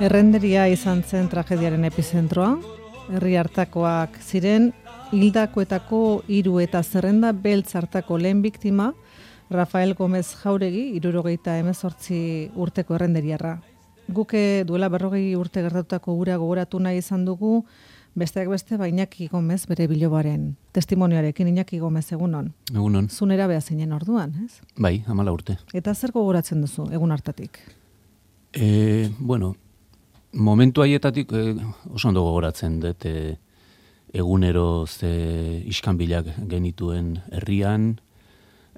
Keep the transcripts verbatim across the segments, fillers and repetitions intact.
Errenderia izan zen tragediaren epizentroa, herri hartakoak ziren, hildakoetako hiru eta zerrenda beltz hartako lehen biktima, Rafael Gomez Jauregi, hirurogeita hemezortzi urteko errenderiarra. Guke duela berrogei urte gertatutako gura gogoratu nahi izan dugu, besteak beste, ba Iñaki Gomez bere bilobaren testimonioarekin. Iñaki Gomez, egunon. Egunon. Zunera beha zinen orduan, ez? Bai, hamala urte. Eta zer gogoratzen duzu, egun hartatik? E, bueno, momentu haietatik e, oso ondo gogoratzen dut e, egunero ze iskanbilak genituen herrian,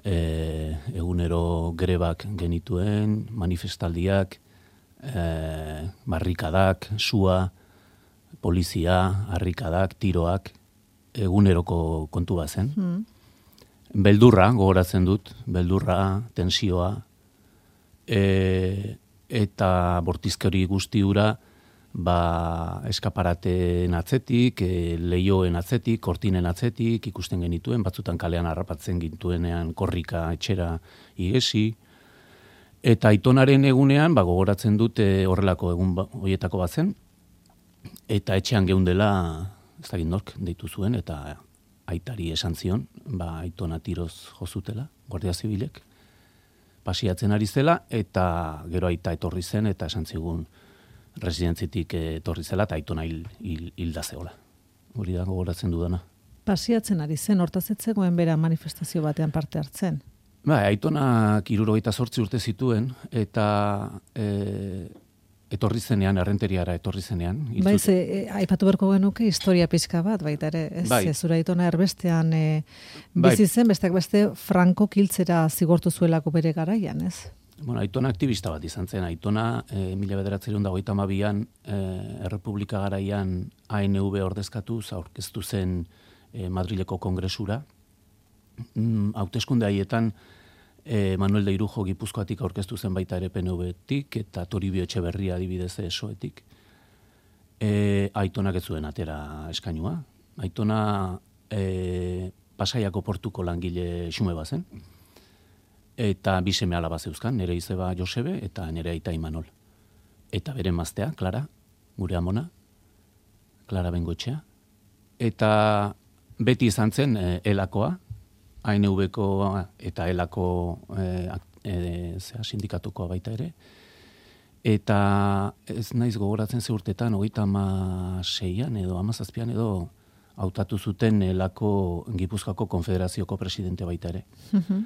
e, egunero grebak genituen, manifestaldiak, e, barrikadak, sua, polizia, harrikadak, tiroak, eguneroko kontu bazen. Hmm. Beldurra, gogoratzen dut, beldurra, tensioa, e, eta bortizkeri guztiura, ba, eskaparateen atzetik, e, lehioen atzetik, kortinen atzetik, ikusten genituen, batzutan kalean harrapatzen gintuenean korrika etxera igesi, eta aitonaren egunean, ba, gogoratzen dut e, horrelako egun ba, horietako batzen, eta etxean geundela, ez dakit nork deitu zuen, eta aitari esan zion, ba, aitona tiroz jozutela, Guardia Zibilek, pasiatzen ari zela, eta gero aita etorri zen, eta esan zigun residentzitik etorri zela, eta aitona hil, hil, hilda zeola. Hori da gogoratzen dudana. Pasiatzen ari zen, hortaz ez zegoen bera manifestazio batean parte hartzen? Ba, aitonak hirurogeita zortzi urte zituen, eta e, etorri zenean, errenteriara etorri zenean. Bai, ze, e, aipatu berko genuke historia pixka bat, baita ere, ez, bai. Ez zura aitona erbestean e, bizi zen, bai. Besteak beste Franco kiltzera zigortu zuelako bere garaian, ez? Bueno, aitona aktivista bat izan zen, aitona e, mila bederatziehun eta hogeita hamabian e, Errepublika garaian A N V ordezkatuz aurkeztu zen e, Madrileko kongresura. Mm, hauteskunde haietan E, Manuel de Irujo Gipuzkoatik aurkeztu zen baita ere P N V-tik eta Toribio Etxeberria adibidez E S O-etik. E, aitonak ez zuen atera eskainua. Aitona e, Pasaiako portuko langile xume bazen. Eta bi seme alaba zeuzkan, nire izeba Josebe eta nire aita Imanol. Eta bere emaztea, Clara, gure amona, Clara Bengoetxea. Eta beti izan zen e, elakoa, A N V-ko eta elako e, e, sindikatukoa baita ere. Eta ez naiz gogoratzen ze urtetan, hogeita hamaseian edo hamazazpian edo hautatu zuten elako Gipuzkoako Konfederazioko presidente baita ere. Uh-huh.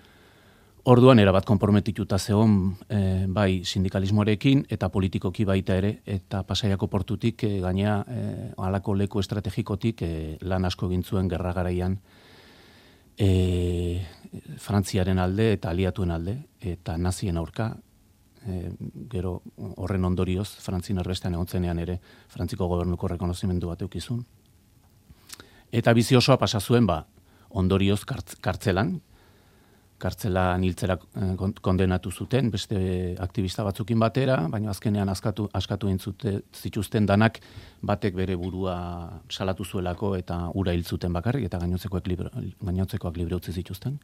Orduan erabat konprometituta zegoen e, bai sindikalismoarekin eta politikoki baita ere, eta Pasaiako portutik e, gainea e, halako leku estrategikotik e, lan asko egin zuen gerra garaian, E, Frantziaren alde eta aliatuen alde, eta nazien aurka, e, gero horren ondorioz, Frantzin erbestean egon zenean ere, Frantziko gobernuko rekonozimendu bat eukizun. Eta bizi osoa pasa zuen, ba, ondorioz kartz, kartzelan, kartzelan hiltzera kondenatu zuten, beste aktivista batzukin batera, baina azkenean askatu, askatu entzute zituzten danak batek bere burua salatu zuelako eta ura hil zuten bakarrik, eta gainontzekoak libre, gainontzekoak libre utzi zituzten.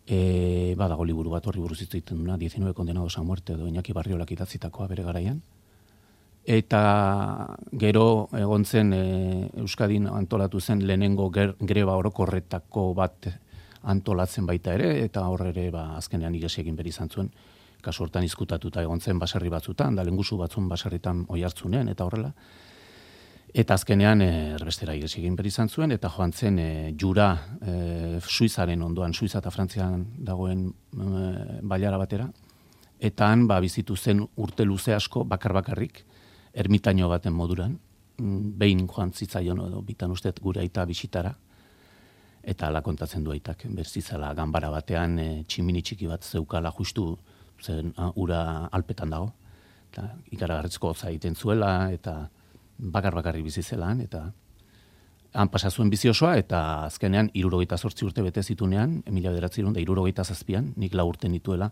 E, badago liburu bat horri buruz hitz egiten duna, diecinueve condenados a muerte edo Iñaki Barriolak idatzitakoa bere garaian. Eta gero egon zen e, Euskadin antolatu zen lehenengo ger, greba orokorretako bat antolatzen baita ere, eta horre ere ba, azkenean igesi egin beri izan zuen, kasu hortan izkutatuta egon zen baserri batzutan, da lengusu batzun baserritan oihartzunean, eta horrela. Eta azkenean erbestera igesi egin beri izan zuen, eta joan zen e, jura e, Suizaren ondoan, Suiza eta Frantzian dagoen e, bailara batera, eta han ba, bizitu zen urte luze asko bakar-bakarrik, ermitaino baten moduran, behin joan zitzaion edo bitan uste gure aita bisitara, eta ala kontatzen du aitak, berzizala ganbara batean e, tximini txiki bat zeukala justu zen a, ura alpetan dago, eta ikaragarrizko hotza egiten zuela, eta bakar-bakarrik bizi zelan, eta han pasa zuen bizi osoa, eta azkenean hirurogeita zortzi urte bete zitunean, mila bederatziehun eta hirurogeita zazpian, nik lau urte nituela,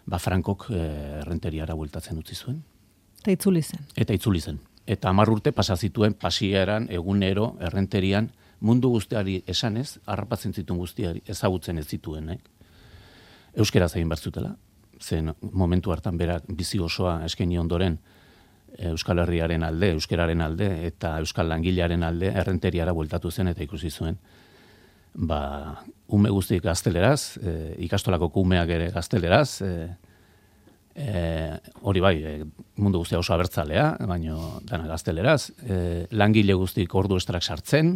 ba Frankok e, errenteriara bueltatzen utzi zuen. Eta itzuli zen. Eta itzuli zen. Eta hamar urte pasa zituen pasieran, egunero, errenterian, mundu guztiari esanez, harrapatzen zituen guztiari ezagutzen ez zituen, eh? Euskeraz egin behar zutela, zen momentu hartan berak bizi osoa eskaini ondoren Euskal Herriaren alde, euskeraren alde eta euskal langilearen alde errenteriara bueltatu zen eta ikusi zuen. Ba, ume guztik gazteleraz, e, ikastolako umeak ere gazteleraz, e, e, hori bai, e, mundu guztia oso abertzalea, baino dana gazteleraz, e, langile guztik ordu estrak sartzen,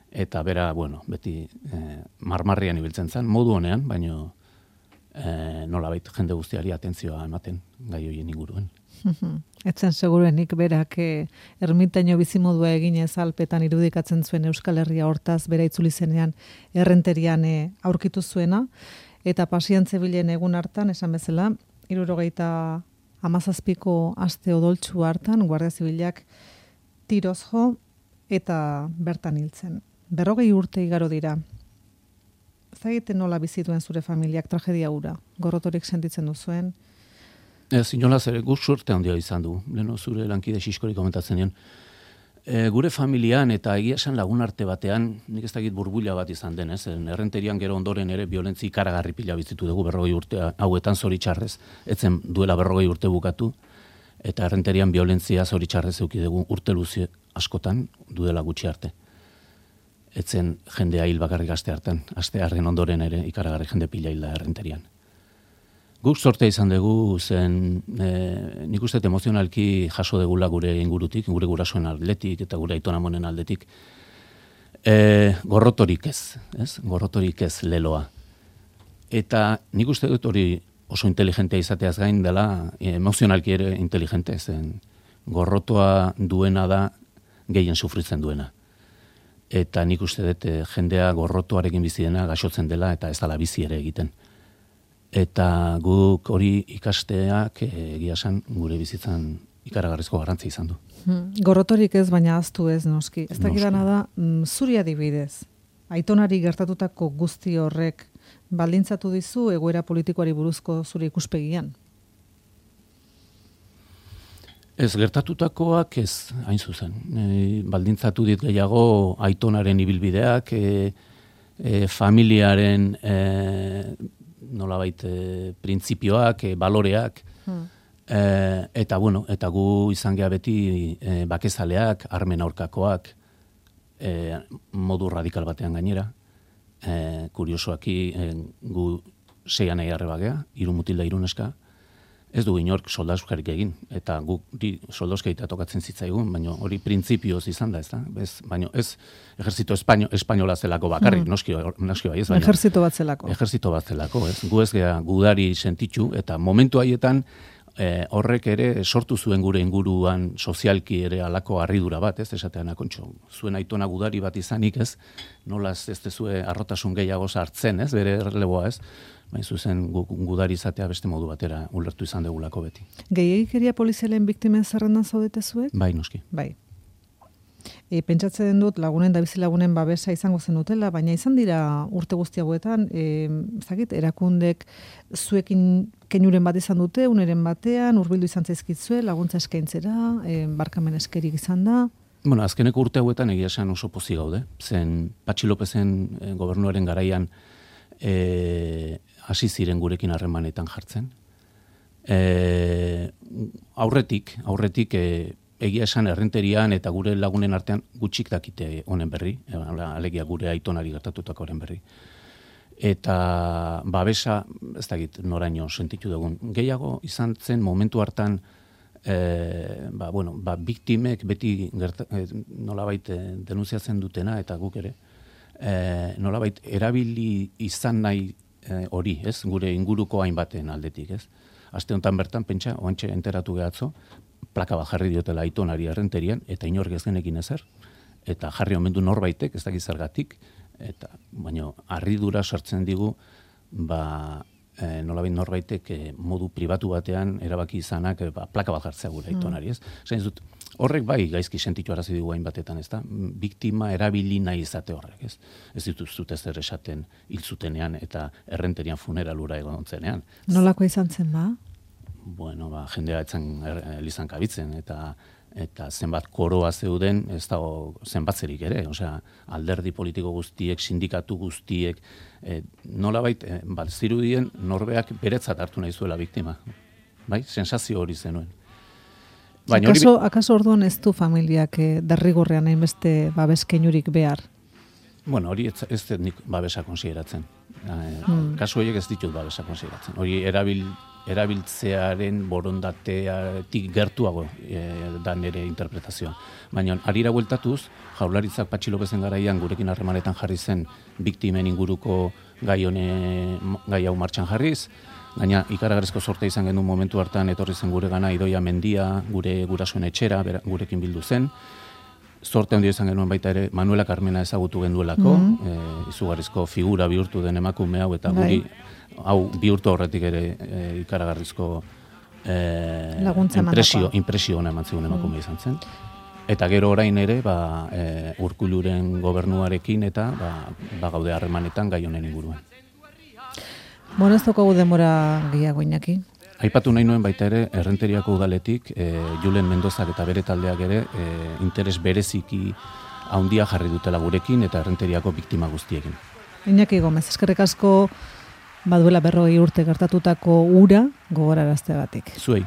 eta bera, bueno, beti e, marmarrian ibiltzen zen, modu honean, baino e, nolabait jende guztiari atentzioa ematen gai horien inguruen. Etzen seguruenik berak eh, ermitaino bizimodua eginez alpetan irudikatzen zuen Euskal Herria hortaz bera itzuli zenean errenterian eh, aurkitu zuena, eta pasiantze bilen egun hartan, esan bezala, hirurogeita hamazazpiko aste odoltsu hartan, Guardia Zibilak tiroz jo eta bertan hiltzen. Berrogei urte igaro dira. Zagiten nola bizituen zure familiak tragedia hura? Gorrotorik sentitzen duzuen? Ez, inolaz ere, guk sorte handia izan du. Leno zure lankide Xiskori komentatzen nion. E, gure familian eta egia esan lagun arte batean, nik ez dakit burbuila bat izan den, ez? Errenterian gero ondoren ere violentzi ikaragarri pila bizitu dugu berrogei urte hauetan zoritxarrez, etzen duela berrogei urte bukatu, eta errenterian violentzia zoritxarrez euki dugu urte luze askotan duela gutxi arte. Etzen jendea hil bakarrik aste hartan, aste harren ondoren ere ikaragarri jende pila hilda errenterian. Guk sortea izan dugu zen, e, nik uste emozionalki jaso degula gure ingurutik, gure gurasoen aldetik eta gure aitonamonen aldetik, e, gorrotorik ez, ez? Gorrotorik ez leloa. Eta nik uste dut hori oso inteligentea izateaz gain dela, emozionalki ere inteligente, zen gorrotoa duena da gehien sufritzen duena. Eta nik uste dut jendea gorrotoarekin bizi dena gaixotzen dela eta ez dela bizi ere egiten. Eta guk hori ikasteak egia esan gure bizitzan ikaragarrizko garrantzi izan du. Hmm. Gorrotorik ez, baina ahaztu ez, noski. Ez dakidana da, mm, zuri adibidez, aitonari gertatutako guzti horrek baldintzatu dizu egoera politikoari buruzko zure ikuspegian? Ez, gertatutakoak ez, hain zuzen. E, baldintzatu dit gehiago aitonaren ibilbideak, e, e, familiaren e, nolabait e, printzipioak, e, baloreak, hmm. e, eta bueno, eta gu izan gea beti e, bakezaleak, armen aurkakoak, e, modu radikal batean gainera. E, kuriosoaki e, gu seian nahi arreba gea, hiru mutil da hiru neska, ez du inork soldauskarik egin, eta guk soldauskaita tokatzen zitzaigun, baina hori printzipioz izan da, ez da? Bez, baina ez ejerzito espaino, espainola zelako bakarrik, mm. noski, noski bai ez, baina ejerzito bat zelako. Ejerzito bat zelako, ez? Gu ez gea gudari sentitzu, eta momentu haietan eh, horrek ere sortu zuen gure inguruan sozialki ere alako harridura bat, ez? Esatean akontxo, zuen aitona gudari bat izanik, ez? Nolaz ez dezue arrotasun gehiago sartzen, ez? Bere erreleboa, ez? Baina zuzen gudari izatea beste modu batera ulertu izan degulako beti. Gehiagikeria polizialen biktimen zerrendan zaudete zuek? Bai, noski. Bai. E, pentsatzen dut lagunen da bizi lagunen babesa izango zen dutela, baina izan dira urte guzti hauetan, e, zakit, erakundek zuekin keinuren bat izan dute, uneren batean, hurbildu izan zaizkitzue, laguntza eskaintzera, e, barkamen eskerik izan da. Bueno, azkeneko urte hauetan egia esan oso pozik gaude. Zen Patxi Lopezen e, gobernuaren garaian e, hasi ziren gurekin harremanetan jartzen. E, aurretik, aurretik e, egia esan errenterian eta gure lagunen artean gutxik dakite honen berri, e, alegia gure aitonari gertatutako honen berri. Eta babesa, ez dakit noraino sentitu dugun, gehiago izan zen momentu hartan e, ba, bueno, ba, biktimek beti gerta, e, nolabait e, denunziatzen dutena eta guk ere, e, nolabait erabili izan nahi hori, ez? Gure inguruko hainbaten aldetik, ez? Aste honetan bertan, pentsa, oantxe enteratu gehatzo, plaka bat jarri diotela aitonari errenterian, eta inork ez genekin ezer, eta jarri omendu norbaitek, ez dakiz zergatik, eta, baina, harridura sartzen digu, ba, e, nolabait norbaitek e, modu pribatu batean erabaki izanak, e, ba, plaka bat jartzea gure aitonari, ez? Zain dut, horrek bai gaizki sentitu arazi dugu hainbatetan, ez da? Biktima erabili nahi izate horrek, ez? Ez dituzut ez zer esaten hil zutenean eta errenterian funeralura egon zenean. Nolako izan zen, ba? Bueno, ba, jendea etzan elizan kabitzen, eta eta zenbat koroa zeuden, ez dago zenbatzerik ere, osea, alderdi politiko guztiek, sindikatu guztiek, e, nolabait, e, bat zirudien norbeak beretzat hartu nahi zuela biktima. Bai, sensazio hori zenuen. Baina akaso, hori... akaso orduan ez du familiak eh, derrigorrean hainbeste babeskeinurik behar? Bueno, hori ez, ez dut nik babesa konsideratzen. Eh, hmm. Kasu horiek ez ditut babesa konsideratzen. Hori erabil, erabiltzearen borondateatik gertuago e, da nire interpretazioa. Baina, harira bueltatuz, Jaurlaritzak Patxi Lopezen garaian gurekin harremanetan jarri zen biktimen inguruko gai hone, gai hau martxan jarriz, gaina ikaragarrizko sorte izan genuen momentu hartan etorri zen gure gana Idoia Mendia, gure gurasoen etxera, bera, gurekin bildu zen. Sorte handia izan genuen baita ere Manuela Carmena ezagutu genduelako, mm -hmm. e, izugarrizko figura bihurtu den emakume hau, eta guri hau bihurtu horretik ere e, ikaragarrizko e, impresio, impresio ona eman zigun emakume mm. izan zen. Eta gero orain ere, ba, e, Urkulluren gobernuarekin eta ba, ba gaude harremanetan gai honen inguruan. Bueno, ez daukagu denbora gehiago Iñaki. Aipatu nahi nuen baita ere, Errenteriako udaletik, e, Julen Mendozak eta bere taldeak ere, e, interes bereziki handia jarri dutela gurekin eta Errenteriako biktima guztiekin. Iñaki Gomez, eskerrik asko baduela berrogei urte gertatutako ura gogorarazteagatik. Zuei.